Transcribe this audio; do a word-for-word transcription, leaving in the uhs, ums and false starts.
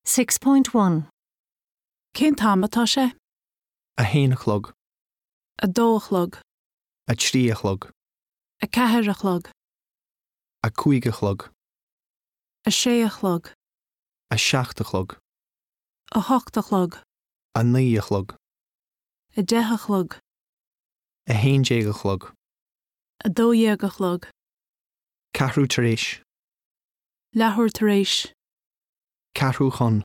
Six point one. Cén t-am atá sé? A haon a chlog, A dó a chlog, a trí a chlog, a ceathair a chlog, a cúig a chlog, a sé a chlog, a seacht a chlog, a hocht a chlog, a naoi a chlog, a deich a chlog, a haon déag a chlog, a dó dhéag a chlog, ceathrú tar éis, leathuair tar éis, ceathrú chun.